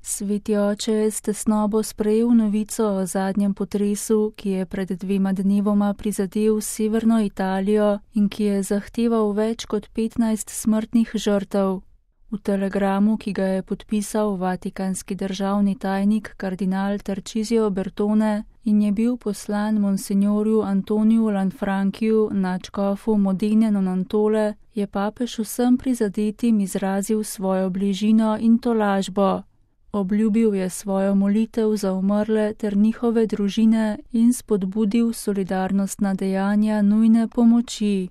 Sveti oče je s tesnobo sprejel novico o zadnjem potresu, ki je pred 2 dnevoma prizadel severno Italijo in ki je zahteval več kot 15 smrtnih žrtev. V telegramu, ki ga je podpisal vatikanski državni tajnik kardinal Tarcisio Bertone in je bil poslan monsignorju Antoniju Lanfrankiju, nadškofu Modene non Antole, je papež vsem prizadetim izrazil svojo bližino in tolažbo. Obljubil je svojo molitev za umrle ter njihove družine in spodbudil solidarnostna dejanja nujne pomoči.